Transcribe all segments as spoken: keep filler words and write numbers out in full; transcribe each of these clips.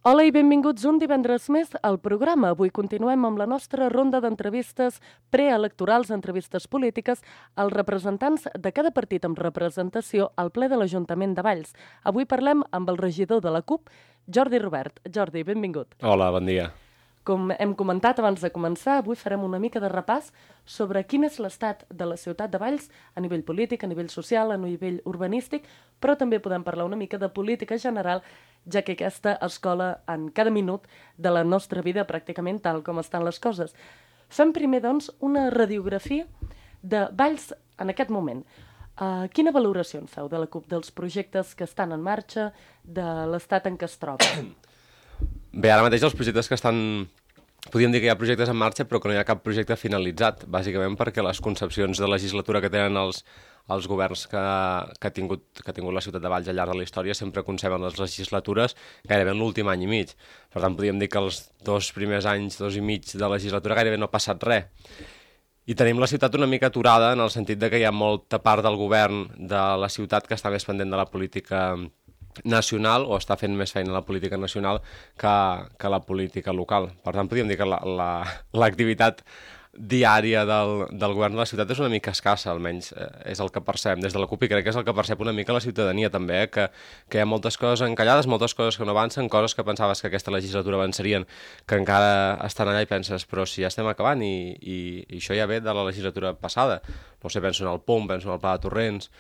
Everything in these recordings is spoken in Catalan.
Hola i benvinguts un divendres més al programa. Avui continuem amb la nostra ronda d'entrevistes preelectorals, entrevistes polítiques, als representants de cada partit amb representació al ple de l'Ajuntament de Valls. Avui parlem amb el regidor de la CUP, Jordi Robert. Jordi, benvingut. Hola, bon dia. Com hem comentat abans de començar, avui farem una mica de repàs sobre quin és l'estat de la ciutat de Valls a nivell polític, a nivell social, a nivell urbanístic, però també podem parlar una mica de política general, ja que aquesta es cola en cada minut de la nostra vida, pràcticament tal com estan les coses. Fem primer, doncs, una radiografia de Valls en aquest moment. Uh, quina valoració en feu de la CUP, dels projectes que estan en marxa, de l'estat en què es troba? Bé, ara mateix els projectes que estan... Podríem dir que hi ha projectes en marxa, però que no hi ha cap projecte finalitzat, bàsicament perquè les concepcions de legislatura que tenen els, els governs que, que, ha tingut, que ha tingut la ciutat de Valls al llarg de la història sempre conceben les legislatures gairebé en l'últim any i mig. Per tant, podríem dir que els dos primers anys, dos i mig de legislatura gairebé no ha passat res. I tenim la ciutat una mica aturada en el sentit de que hi ha molta part del govern de la ciutat que està més pendent de la política nacional o està fent més feina la política nacional que, que la política local. Per tant, podríem dir que l'activitat diària del, del govern de la ciutat és una mica escassa, almenys eh, és el que percebem des de la CUP i crec que és el que percep una mica la ciutadania també, eh, que, que hi ha moltes coses encallades, moltes coses que no avancen, coses que pensaves que aquesta legislatura avançarien, que encara estan allà i penses, però si ja estem acabant i, i, i això ja ve de la legislatura passada. No sé, penso en el P O M, penso en el Pla de Torrents,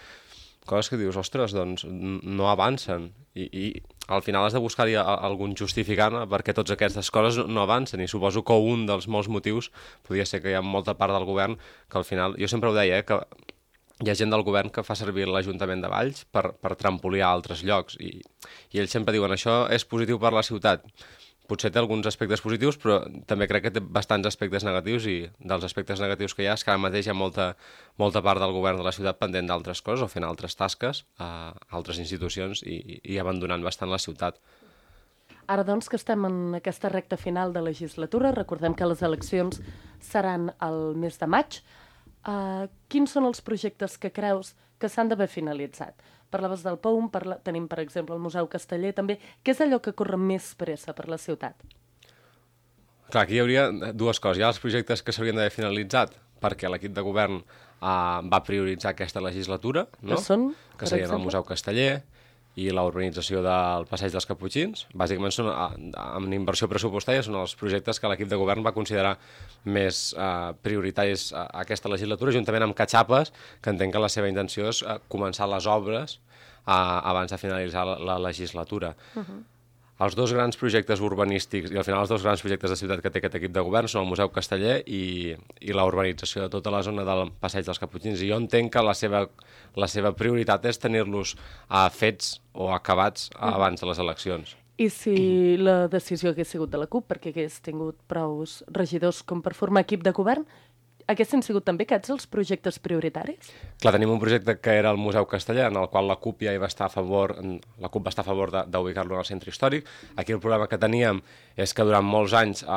coses que dius, ostres, doncs no avancen i, i al final has de buscar-hi algun justificant perquè tots aquestes coses no avancen i suposo que un dels molts motius podria ser que hi ha molta part del govern que al final, jo sempre ho deia, eh, que hi ha gent del govern que fa servir l'Ajuntament de Valls per, per trampolir a altres llocs i, i ells sempre diuen això és positiu per la ciutat. Potser té alguns aspectes positius, però també crec que té bastants aspectes negatius i dels aspectes negatius que hi ha és que ara mateix hi ha molta, molta part del govern de la ciutat pendent d'altres coses o fent altres tasques a altres institucions i, i abandonant bastant la ciutat. Ara, doncs, que estem en aquesta recta final de legislatura, recordem que les eleccions seran el mes de maig. Uh, quins són els projectes que creus que s'han d'haver finalitzat? Parlaves del P O M, parla... tenim, per exemple, el Museu Casteller, també. Què és allò que corre més pressa per la ciutat? Clar, aquí hi hauria dues coses. Hi ha els projectes que s'haurien d'haver finalitzat perquè l'equip de govern uh, va prioritzar aquesta legislatura, no? Que són, que serien el Museu Casteller i la urbanització del Passeig dels Caputxins. Bàsicament, són, amb inversió pressupostària, són els projectes que l'equip de govern va considerar més eh, prioritaris a aquesta legislatura, juntament amb Catxapes, que entenc que la seva intenció és eh, començar les obres eh, abans de finalitzar la, la legislatura. Uh-huh. Els dos grans projectes urbanístics, i al final els dos grans projectes de ciutat que té aquest equip de govern són el Museu Casteller i, i la urbanització de tota la zona del Passeig dels Caputxins. I jo entenc que la seva, la seva prioritat és tenir-los uh, fets o acabats uh, abans de les eleccions. I si la decisió hagués sigut de la CUP, perquè hagués tingut prous regidors com per formar equip de govern, haguessin sigut també aquests els projectes prioritaris? Clar, tenim un projecte que era el Museu Casteller, en el qual la CUP ja hi va estar a favor, la CUP va estar a favor d'ubicar-lo en el centre històric. Aquí el problema que teníem és que durant molts anys eh,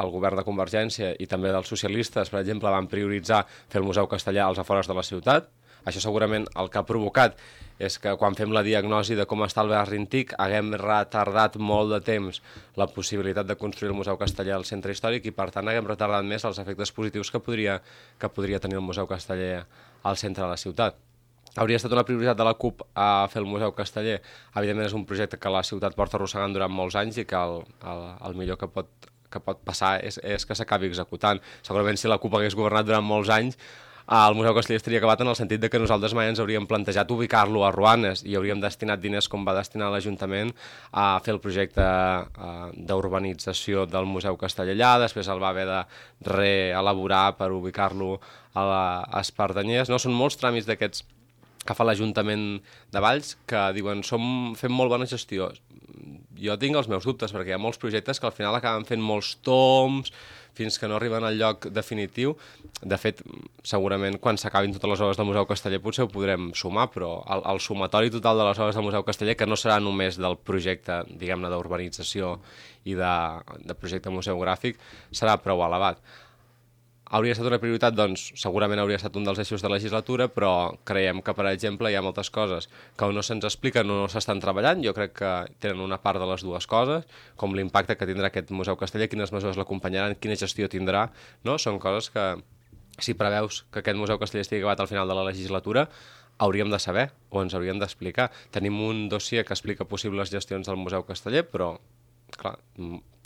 el govern de Convergència i també dels socialistes, per exemple, van prioritzar fer el Museu Casteller als afores de la ciutat. Això segurament el que ha provocat és que quan fem la diagnosi de com està el barri antic haguem retardat molt de temps la possibilitat de construir el Museu Casteller al centre històric i per tant haguem retardat més els efectes positius que podria, que podria tenir el Museu Casteller al centre de la ciutat. Hauria estat una prioritat de la CUP a fer el Museu Casteller. Evidentment és un projecte que la ciutat porta arrossegant durant molts anys i que el, el, el millor que pot, que pot passar és, és que s'acabi executant. Segurament si la CUP hagués governat durant molts anys el Museu Casteller estaria acabat en el sentit de que nosaltres mai ens hauríem plantejat ubicar-lo a Ruanes i hauríem destinat diners com va destinar l'Ajuntament a fer el projecte uh, d'urbanització del Museu Casteller allà, després el va haver de reelaborar per ubicar-lo a l'Espardenyers. No? Són molts tràmits d'aquests que fa l'Ajuntament de Valls que diuen som, fem molt bona gestió. Jo tinc els meus dubtes perquè hi ha molts projectes que al final acaben fent molts toms fins que no arriben al lloc definitiu. De fet, segurament quan s'acabin totes les obres del Museu Casteller potser ho podrem sumar, però el, el sumatori total de les obres del Museu Casteller, que no serà només del projecte, diguem-ne, d'urbanització i de, de projecte museogràfic, serà prou elevat. hauria estat una prioritat? Doncs segurament hauria estat un dels eixos de legislatura, però creiem que, per exemple, hi ha moltes coses que o no se'ns expliquen o no s'estan treballant. Jo crec que tenen una part de les dues coses, com l'impacte que tindrà aquest Museu Casteller, quines mesures l'acompanyaran, quina gestió tindrà, no? Són coses que, si preveus que aquest Museu Casteller estigui acabat al final de la legislatura, hauríem de saber o ens hauríem d'explicar. Tenim un dossier que explica possibles gestions del Museu Casteller, però, clar,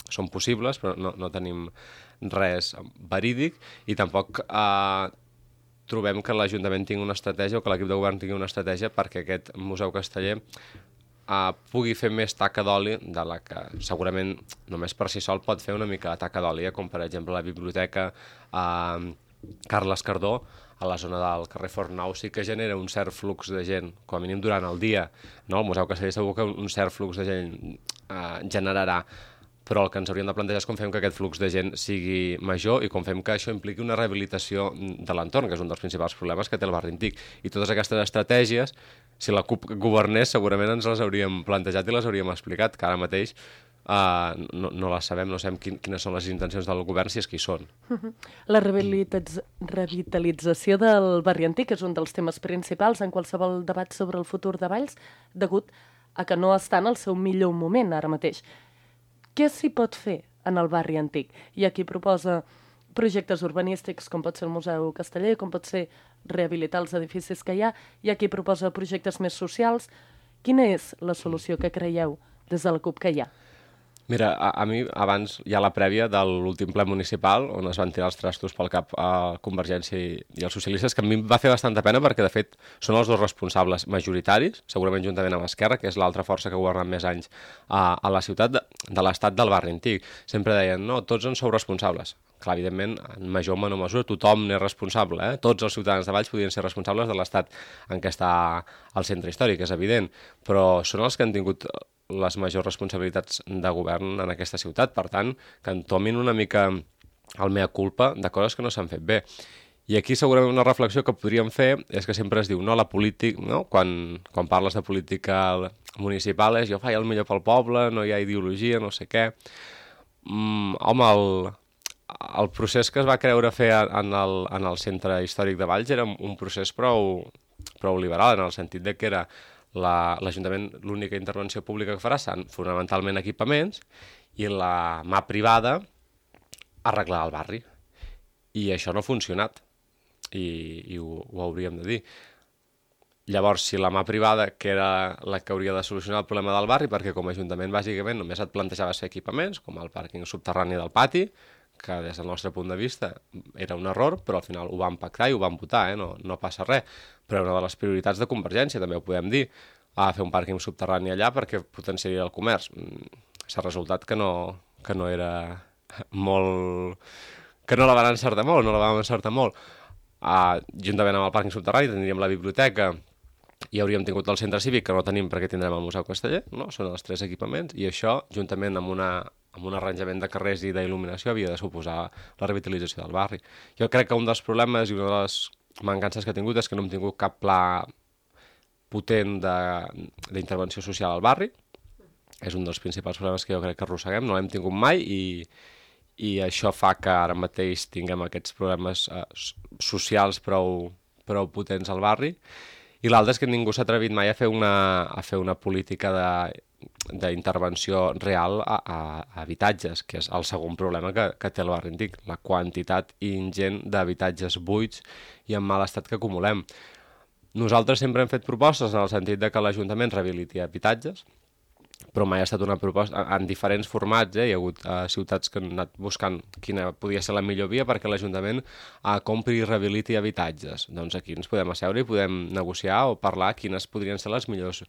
són possibles, però no, no tenim res verídic i tampoc eh, trobem que l'Ajuntament tingui una estratègia o que l'equip de govern tingui una estratègia perquè aquest Museu Casteller eh, pugui fer més taca d'oli de la que segurament només per si sol pot fer una mica de taca d'oli, eh, com per exemple la biblioteca eh, Carles Cardó, a la zona del carrer Fornau, sí que genera un cert flux de gent, com a mínim durant el dia, no? El Museu Casteller segur que un cert flux de gent eh, generarà, però el que ens hauríem de plantejar és com fem que aquest flux de gent sigui major i com fem que això impliqui una rehabilitació de l'entorn, que és un dels principals problemes que té el barri antic. I totes aquestes estratègies, si la CUP governés, segurament ens les hauríem plantejat i les hauríem explicat, que ara mateix Uh, no, no les sabem, no sabem quin, quines són les intencions del govern, si és que hi són. La revitalització del barri antic és un dels temes principals en qualsevol debat sobre el futur de Valls, degut a que no està en el seu millor moment ara mateix. Què s'hi pot fer en el barri antic? Hi ha qui proposa projectes urbanístics, com pot ser el Museu Casteller, com pot ser rehabilitar els edificis que hi ha, hi ha qui proposa projectes més socials. Quina és la solució que creieu des de la CUP que hi ha? Mira, a, a mi abans hi ha la prèvia de l'últim ple municipal on es van tirar els trastos pel cap a Convergència i, i els socialistes, que a mi em va fer bastanta pena perquè, de fet, són els dos responsables majoritaris, segurament juntament amb Esquerra, que és l'altra força que ha governat més anys a, a la ciutat, de, de l'estat del barri antic. Sempre deien, no, tots en sou responsables. Clar, evidentment, en major o menor mesura, tothom n'és responsable, eh? Tots els ciutadans de Valls podien ser responsables de l'estat en què està el centre històric, és evident, però són els que han tingut les majors responsabilitats de govern en aquesta ciutat, per tant, que entomin una mica el mea culpa de coses que no s'han fet bé. I aquí segurament una reflexió que podríem fer és que sempre es diu, no, la política, no? Quan, quan parles de política municipal és jo faig el millor pel poble, no hi ha ideologia, no sé què. Mm, home, el, el procés que es va creure fer en el, en el centre històric de Valls era un procés prou, prou liberal, en el sentit de que era l'Ajuntament, la, l'única intervenció pública que farà seran fonamentalment equipaments i la mà privada arreglar el barri. I això no ha funcionat i, i ho, ho hauríem de dir. Llavors, si la mà privada, que era la que hauria de solucionar el problema del barri, perquè com a Ajuntament bàsicament només et plantejaves fer equipaments, com el pàrquing subterrani del pati, que des del nostre punt de vista era un error, però al final ho vam pactar i ho vam votar, eh? no, no passa res. Però una de les prioritats de Convergència, també ho podem dir, a fer un pàrquing subterrani allà perquè potenciaria el comerç. S'ha resultat que no, que no era molt... que no la van encertar molt, no la vam encertar molt. Uh, juntament amb el pàrquing subterrani tindríem la biblioteca i hauríem tingut el centre cívic, que no tenim perquè tindrem el Museu Casteller, no? Són els tres equipaments, i això, juntament amb una... amb un arranjament de carrers i d'il·luminació, havia de suposar la revitalització del barri. Jo crec que un dels problemes i una de les mancances que he tingut és que no hem tingut cap pla potent d'intervenció social al barri. És un dels principals problemes que jo crec que arrosseguem, no l'hem tingut mai i, i això fa que ara mateix tinguem aquests problemes eh, socials prou, prou potents al barri. I l'altre és que ningú s'ha atrevit mai a fer una, a fer una política de d'intervenció real a, a, a habitatges, que és el segon problema que, que té el barri antic, la quantitat ingent d'habitatges buits i en mal estat que acumulem. Nosaltres sempre hem fet propostes en el sentit de que l'Ajuntament rehabiliti habitatges, però mai ha estat una proposta en diferents formats, eh? Hi ha hagut uh, ciutats que han anat buscant quina podia ser la millor via perquè l'Ajuntament uh, compri i rehabiliti habitatges. Doncs aquí ens podem asseure i podem negociar o parlar quines podrien ser les millors,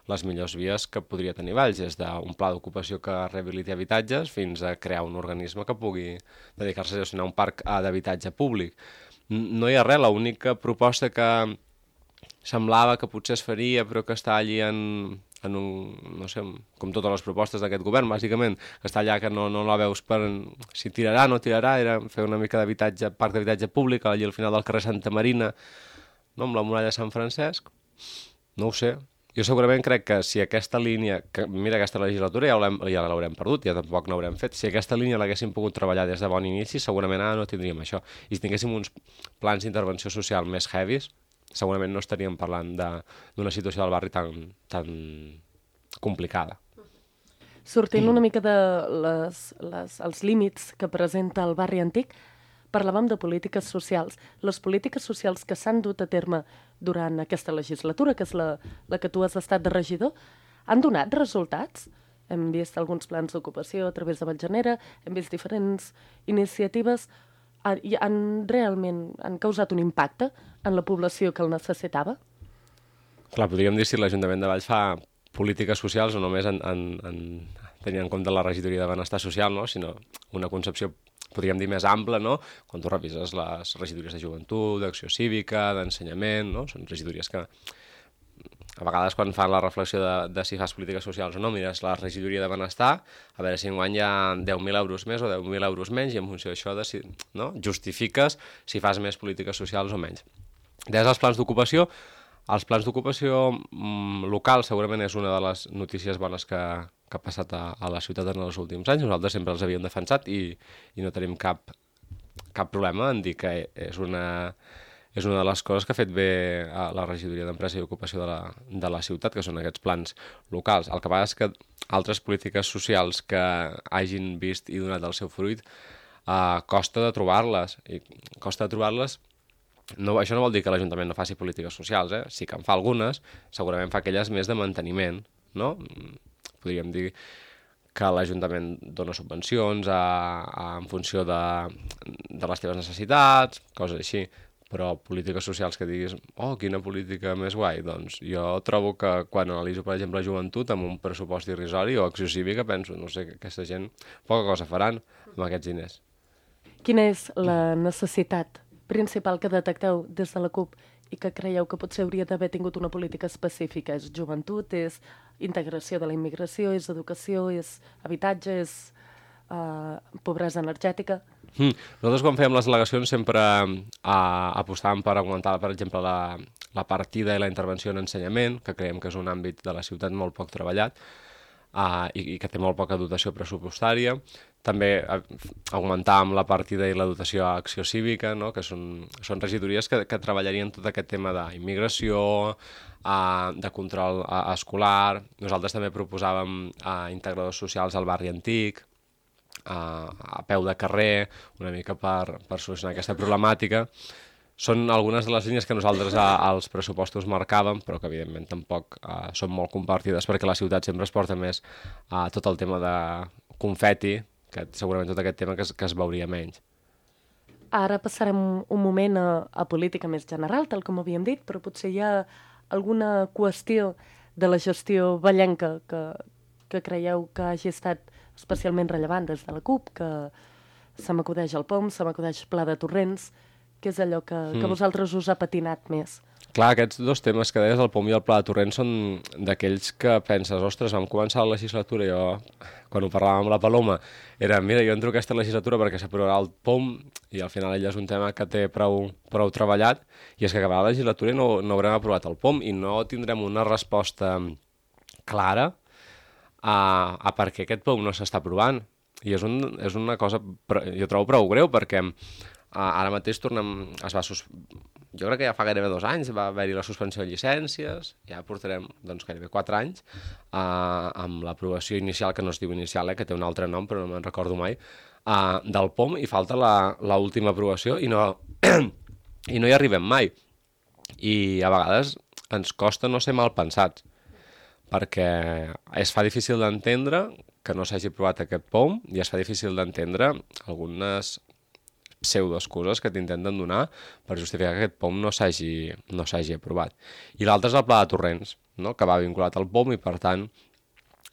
les millors vies que podria tenir Valls, des d'un pla d'ocupació que rehabiliti habitatges fins a crear un organisme que pugui dedicar-se a gestionar un parc uh, d'habitatge públic. No hi ha res, l'única proposta que semblava que potser es faria però que està allí en... en un, no sé, com totes les propostes d'aquest govern, bàsicament, que està allà que no, no la veus per si tirarà o no tirarà, era fer una mica d'habitatge, parc d'habitatge públic, allà al final del carrer Santa Marina, no, amb la muralla de Sant Francesc, no ho sé. Jo segurament crec que si aquesta línia, que mira, aquesta legislatura ja l'haurem ja l'haurem perdut, ja tampoc n'haurem fet, si aquesta línia l'haguéssim pogut treballar des de bon inici, segurament ara no tindríem això. I si tinguéssim uns plans d'intervenció social més heavies, segurament no estaríem parlant d'una situació del barri tan, tan complicada. Sortint una mica de les, les, els límits que presenta el barri antic, parlàvem de polítiques socials. Les polítiques socials que s'han dut a terme durant aquesta legislatura, que és la, la que tu has estat de regidor, han donat resultats? Hem vist alguns plans d'ocupació a través de Vallgenera, hem vist diferents iniciatives, i han realment han causat un impacte en la població que el necessitava? Clar, podríem dir si l'Ajuntament de Valls fa polítiques socials o només en, en, en, tenint en compte la regidoria de benestar social, no? Sinó una concepció, podríem dir, més ampla, no? Quan tu revises les regidories de joventut, d'acció cívica, d'ensenyament, no? Són regidories que a vegades quan fan la reflexió de, de si fas polítiques socials o no, mires la regidoria de benestar, a veure si enguany hi ha deu mil euros més o deu mil euros menys, i en funció d'això si, no? justifiques si fas més polítiques socials o menys. Des dels plans d'ocupació, els plans d'ocupació mm, local segurament és una de les notícies bones que, que ha passat a, a la ciutat en els últims anys. Nosaltres sempre els havíem defensat i, i no tenim cap, cap problema en dir que és una, és una de les coses que ha fet bé a la regidoria d'Empresa i Ocupació de la, de la ciutat, que són aquests plans locals. El que passa és que altres polítiques socials que hagin vist i donat el seu fruit eh, costa de trobar-les. I costa de trobar-les. No, això no vol dir que l'Ajuntament no faci polítiques socials, eh? Sí que en fa algunes, segurament fa aquelles més de manteniment, no? Podríem dir que l'Ajuntament dona subvencions a, a, en funció de, de les teves necessitats, coses així, però polítiques socials que diguis, oh, quina política més guai, doncs jo trobo que quan analitzo, per exemple, joventut amb un pressupost irrisori o acció cívica, penso, no sé, que aquesta gent poca cosa faran amb aquests diners. Quina és la necessitat principal que detecteu des de la CUP i que creieu que potser hauria d'haver tingut una política específica? És joventut, és integració de la immigració, és educació, és habitatge, és uh, pobresa energètica? Mm. Nosaltres quan fèiem les al·legacions sempre uh, apostàvem per augmentar, per exemple, la, la partida i la intervenció en ensenyament, que creiem que és un àmbit de la ciutat molt poc treballat, Uh, i, i que té molt poca dotació pressupostària. També uh, augmentàvem la partida i la dotació a acció cívica, no? Que són, són regidories que, que treballarien tot aquest tema d'immigració, uh, de control uh, escolar. Nosaltres també proposàvem uh, integradors socials al barri antic, uh, a peu de carrer, una mica per, per solucionar aquesta problemàtica. Són algunes de les línies que nosaltres a, als pressupostos marcàvem, però que evidentment tampoc uh, són molt compartides perquè la ciutat sempre es porta més a uh, tot el tema de confeti, que segurament tot aquest tema que es, que es veuria menys. Ara passarem un moment a, a política més general, tal com havíem dit, però potser hi ha alguna qüestió de la gestió vallenca que, que creieu que hagi estat especialment rellevant des de la CUP, que se m'acudeix el POM, se m'acudeix Pla de Torrents. Què és allò que, que vosaltres us ha patinat més? Clar, aquests dos temes que deies, el POM i el Pla de Torrents, són d'aquells que penses, ostres, vam començar la legislatura i jo, quan ho parlàvem amb la Paloma, era, mira, jo entro aquesta legislatura perquè s'aprovarà el POM i al final ell és un tema que té prou, prou treballat, i és que acabarà la legislatura i no, no haurem aprovat el POM i no tindrem una resposta clara a, a per què aquest POM no s'està aprovant. I és, un, és una cosa, jo trobo prou greu, perquè Uh, ara mateix tornem, es va sus... jo crec que ja fa gairebé dos anys va haver-hi la suspensió de llicències, ja portarem doncs, gairebé quatre anys uh, amb l'aprovació inicial, que no es diu inicial, eh, que té un altre nom però no me'n recordo mai, uh, del POM, i falta l'última aprovació i no, i no hi arribem mai. I a vegades ens costa no ser mal pensats, perquè es fa difícil d'entendre que no s'hagi aprovat aquest POM i es fa difícil d'entendre algunes pseudoexcuses que t'intenten donar per justificar que aquest POM no s'hagi no s'hagi aprovat. I l'altre és el Pla de Torrents, no? Que va vinculat al POM i, per tant,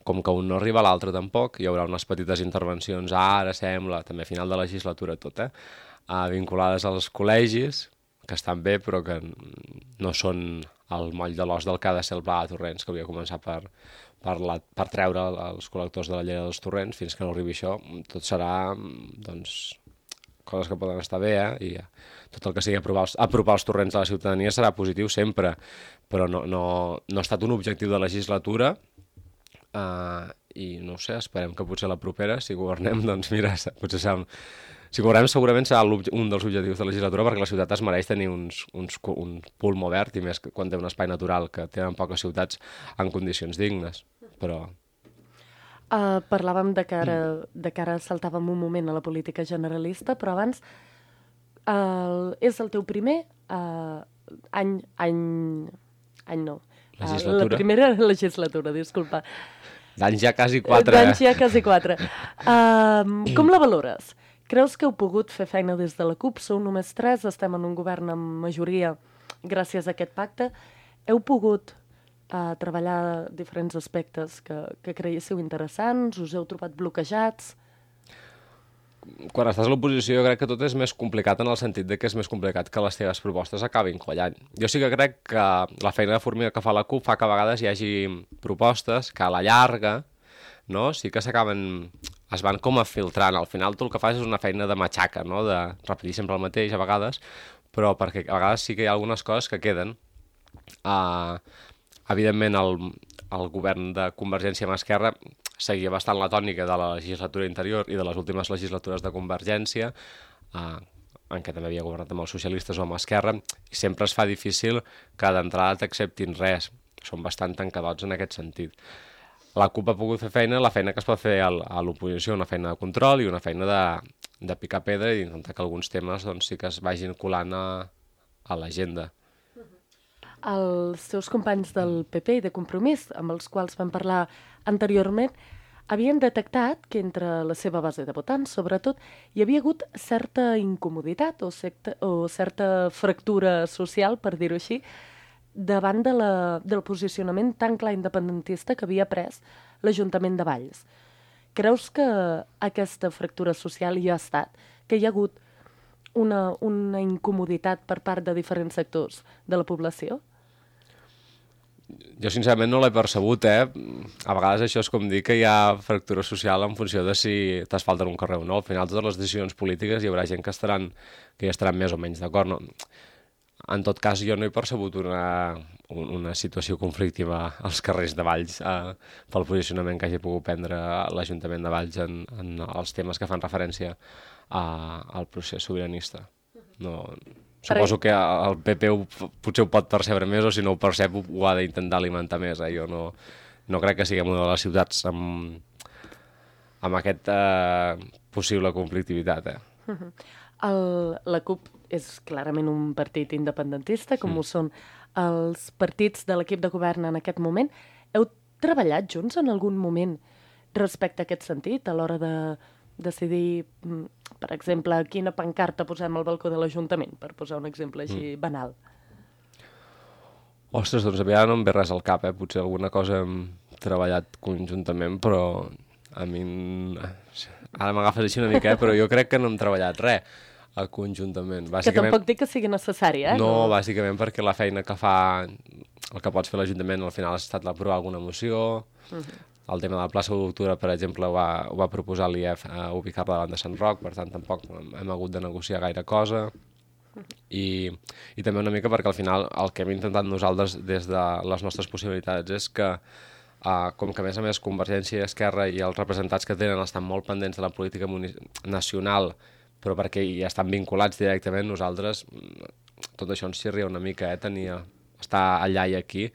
com que un no arriba a l'altre tampoc, hi haurà unes petites intervencions, ara sembla, també a final de legislatura tot, eh? Uh, vinculades als col·legis, que estan bé, però que no són el moll de l'os del que ha de ser el Pla de Torrents, que hauria de començar per, per, la, per treure els col·lectors de la llei dels torrents. Fins que no arribi això, tot serà, doncs, coses que poden estar bé, eh? I tot el que sigui apropar els, apropar els torrents a la ciutadania serà positiu sempre, però no, no, no ha estat un objectiu de legislatura, uh, i no ho sé, esperem que potser la propera, si governem, doncs mira, potser serà... Si governem segurament serà un dels objectius de la legislatura, perquè la ciutat es mereix tenir uns, uns, un pulmo verd, i més quan té un espai natural que tenen poques ciutats en condicions dignes, però... Uh, parlàvem de que, ara, de que ara saltàvem un moment a la política generalista, però abans uh, és el teu primer uh, any, any... any no. Legislatura. Uh, la primera legislatura, disculpa. D'anys ja quasi quatre. D'anys ja quasi quatre. Uh, com la valores? Creus que heu pogut fer feina des de la CUP? Sou només tres, estem en un govern amb majoria gràcies a aquest pacte. Heu pogut uh, treballar diferents aspectes que, que creiéssiu interessants? Us heu trobat bloquejats? Quan estàs a l'oposició jo crec que tot és més complicat en el sentit de que és més complicat que les teves propostes acabin quallant. Jo sí que crec que la feina de formiga que fa la CUP fa que a vegades hi hagi propostes que a la llarga, no? Sí que s'acaben, es van com a filtrant. Al final tu el que fas és una feina de matxaca, no? De repetir sempre el mateix a vegades, però perquè a vegades sí que hi ha algunes coses que queden. Uh, evidentment el, el govern de Convergència amb Esquerra seguia bastant la tònica de la legislatura interior i de les últimes legislatures de Convergència, uh, en què també havia governat amb els socialistes o amb Esquerra, i sempre es fa difícil que d'entrada t'acceptin res. Són bastant tancadots en aquest sentit. La CUP ha pogut fer feina, la feina que es pot fer a l'oposició, una feina de control i una feina de, de picar pedra i intentar que alguns temes doncs, sí que es vagin colant a, a l'agenda. Els teus companys del P P i de Compromís, amb els quals vam parlar anteriorment, havien detectat que entre la seva base de votants, sobretot, hi havia hagut certa incomoditat o, secta, o certa fractura social, per dir-ho així, davant de la, del posicionament tan clar independentista que havia pres l'Ajuntament de Valls. Creus que aquesta fractura social hi ha estat? Que hi ha hagut una, una incomoditat per part de diferents sectors de la població? Jo sincerament no l'he percebut, eh? A vegades això és com dir que hi ha fractura social en funció de si t'asfalten un carrer o no. Al final totes les decisions polítiques hi haurà gent que estaran, que hi estaran més o menys d'acord, no? En tot cas, jo no he percebut una, una situació conflictiva als carrers de Valls eh, pel posicionament que hagi pogut prendre l'Ajuntament de Valls en, en els temes que fan referència a, al procés sobiranista. No, suposo que el P P ho, potser ho pot percebre més, o si no ho percep ho ha d'intentar alimentar més. Eh? Jo no, no crec que siguem una de les ciutats amb, amb aquesta eh, possible conflictivitat. Eh? Uh-huh. El, la CUP és clarament un partit independentista, com mm. ho són els partits de l'equip de govern en aquest moment. Heu treballat junts en algun moment respecte a aquest sentit, a l'hora de decidir, per exemple, quina pancarta posem al balcó de l'Ajuntament, per posar un exemple així mm. banal? Ostres, doncs a mi ara no em ve res al cap, eh? Potser alguna cosa hem treballat conjuntament, però a mi... Ara m'agafes així una mica, eh? Però jo crec que no hem treballat res conjuntament. Bàsicament... Que tampoc dic que sigui necessari, eh? No, no, bàsicament perquè la feina que fa, el que pots fer l'Ajuntament al final ha estat l'aprovar alguna moció, uh-huh. El tema de la plaça d'Octubre, per exemple, ho va, ho va proposar l'I E F a ubicar-la davant de Sant Roc, per tant tampoc hem hagut de negociar gaire cosa, uh-huh. I, i també una mica perquè al final el que hem intentat nosaltres des de les nostres possibilitats és que Uh, com que a més a més Convergència i Esquerra i els representats que tenen estan molt pendents de la política nacional, però perquè hi estan vinculats directament, nosaltres tot això ens xirria una mica, eh, tenia, estar allà i aquí,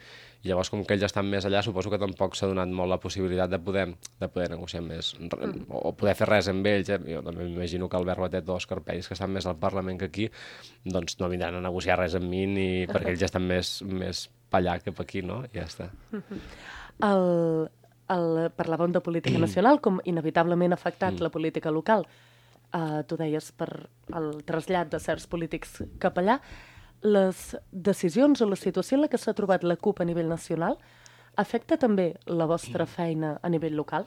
i llavors com que ells estan més allà suposo que tampoc s'ha donat molt la possibilitat de poder, de poder negociar més, mm. o poder fer res amb ells, eh? Jo també m'imagino que Albert Batet o Òscar Peris, que estan més al Parlament que aquí, doncs no vindran a negociar res amb mi, ni perquè ells estan més, més pa allà que per aquí, no? I ja està. El, el, parlàvem de política nacional, com inevitablement ha afectat mm. la política local. Uh, tu deies per el trasllat de certs polítics cap allà. Les decisions o la situació en la que s'ha trobat la CUP a nivell nacional afecta també la vostra feina a nivell local?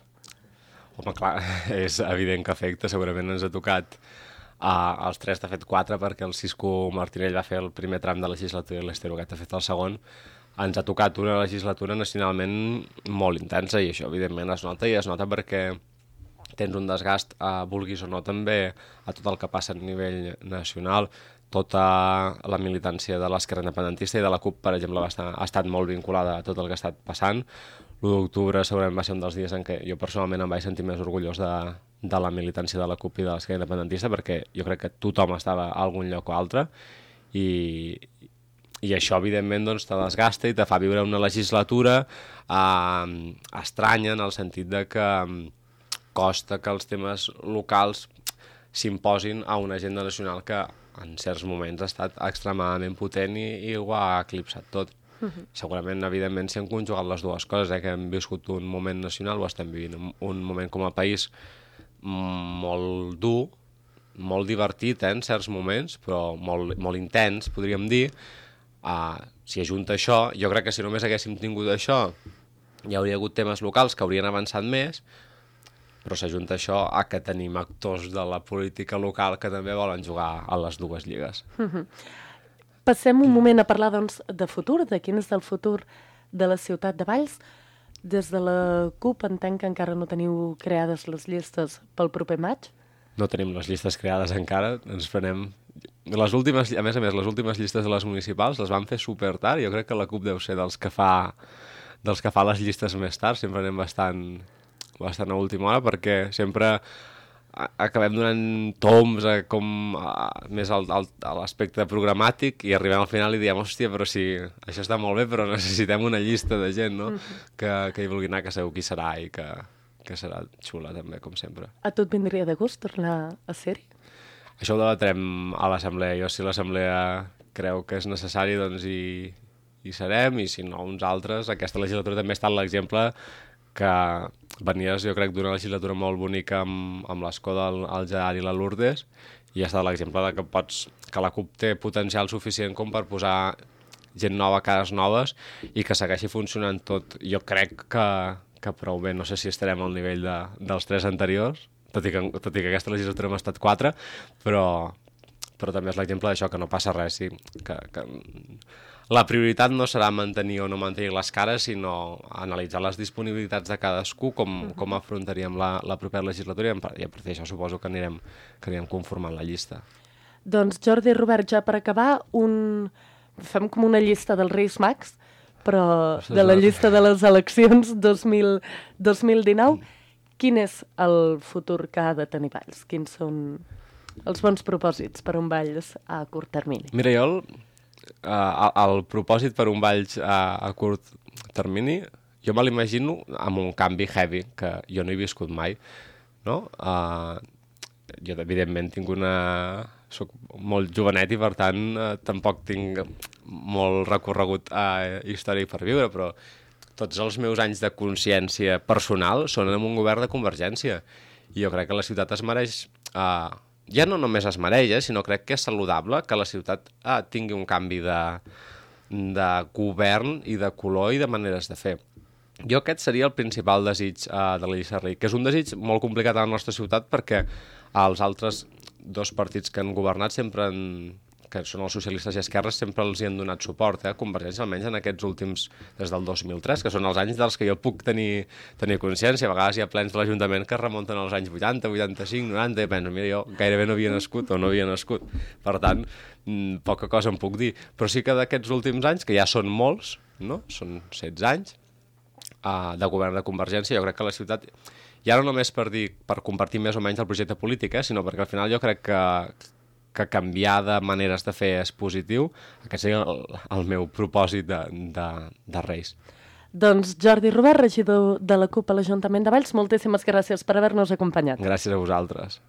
Home, clar, és evident que afecta. Segurament ens ha tocat uh, els tres, de fet quatre, perquè el Cisco Martinell va fer el primer tram de legislatura i l'Ester Huguet ha fet el segon. Ens ha tocat una legislatura nacionalment molt intensa i això evidentment es nota, i es nota perquè tens un desgast, eh, vulguis o no, també a tot el que passa a nivell nacional. Tota la militància de l'esquerra independentista i de la CUP, per exemple, va estar, ha estat molt vinculada a tot el que ha estat passant. l'u d'octubre segurament va ser un dels dies en què jo personalment em vaig sentir més orgullós de, de la militància de la CUP i de l'esquerra independentista, perquè jo crec que tothom estava a algun lloc o altre, i, i això evidentment doncs, te desgasta i te fa viure una legislatura eh, estranya, en el sentit de que costa que els temes locals s'imposin a una agenda nacional que en certs moments ha estat extremadament potent i, i ho ha eclipsat tot. Uh-huh. Segurament, evidentment, s'hi han conjugat les dues coses, eh? Que hem viscut un moment nacional, o estem vivint un, un moment com a país molt dur, molt divertit, eh, en certs moments, però molt, molt intens, podríem dir. Uh, si ajunta això, jo crec que si només haguéssim tingut això, hi hauria hagut temes locals que haurien avançat més, però s'ajunta això a que tenim actors de la política local que també volen jugar a les dues lligues. Uh-huh. Passem un moment a parlar, doncs, de futur, de quin és el futur de la ciutat de Valls. Des de la CUP entenc que encara no teniu creades les llistes pel proper maig. No tenim les llistes creades encara, ens farem... Les últimes, a més a més, les últimes llistes de les municipals les van fer super tard, jo crec que la CUP deu ser dels que fa, dels que fa les llistes més tard, sempre anem bastant, bastant a última hora, perquè sempre acabem donant toms a com a, més al, al, a l'aspecte programàtic i arribem al final i diem, hòstia, però si això està molt bé, però necessitem una llista de gent, no? Mm-hmm. que, que hi vulgui anar, que segur qui serà i que, que serà xula també, com sempre. A tu et vindria de gust tornar a ser-hi? Això ho debatrem a l'assemblea. Jo, si l'assemblea creu que és necessari, doncs hi, hi serem, i si no, uns altres. Aquesta legislatura també ha estat l'exemple que venies, jo crec, d'una legislatura molt bonica amb, amb l'escó del el Gerard i la Lourdes, i ha estat l'exemple de que pots, que la CUP té potencial suficient com per posar gent nova, cares noves, i que segueixi funcionant tot. Jo crec que, que prou bé. No sé si estarem al nivell de, dels tres anteriors, tot i, que, tot i que aquesta legislatura hem estat quatre, però, però també és l'exemple d'això, que no passa res, sí, que... que la prioritat no serà mantenir o no mantenir les cares, sinó analitzar les disponibilitats de cadascú, com, com afrontaríem la, la propera legislatura, i a partir d'això suposo que anirem, que anirem conformant la llista. Doncs Jordi i Robert, ja per acabar, un... fem com una llista dels Reis Mags, però de la llista de les eleccions dos mil dinou, quin és el futur que ha de tenir Valls? Quins són els bons propòsits per un Valls a curt termini? Mira, jo... El... Uh, el, el propòsit per un Valls uh, a curt termini, jo me l'imagino amb un canvi heavy, que jo no he viscut mai, no? Uh, jo, evidentment, tinc una... soc molt jovenet i, per tant, uh, tampoc tinc molt recorregut uh, històric per viure, però tots els meus anys de consciència personal són en un govern de Convergència. I jo crec que la ciutat es mereix... Uh, ja no només es mereix, eh, sinó crec que és saludable que la ciutat eh, tingui un canvi de, de govern i de color i de maneres de fer. Jo aquest seria el principal desig eh, de la llista Rei, que és un desig molt complicat a la nostra ciutat perquè els altres dos partits que han governat sempre han, que són els socialistes i esquerres, sempre els hi han donat suport, eh? Convergència, almenys en aquests últims, des del dos mil tres, que són els anys dels que jo puc tenir, tenir consciència. A vegades hi ha plens de l'Ajuntament que es remunten als anys vuitanta, vuitanta-cinc, noranta, i penso, mira, jo gairebé no havia nascut o no havia nascut. Per tant, poca cosa em puc dir. Però sí que d'aquests últims anys, que ja són molts, no? Són setze anys, uh, de govern de Convergència, jo crec que la ciutat, ja no només per dir, per compartir més o menys el projecte polític, eh? Sinó perquè al final jo crec que que canviar de maneres de fer és positiu. Aquest seria el, el meu propòsit de, de, de Reis. Doncs Jordi Robert, regidor de la CUP a l'Ajuntament de Valls, moltíssimes gràcies per haver-nos acompanyat. Gràcies a vosaltres.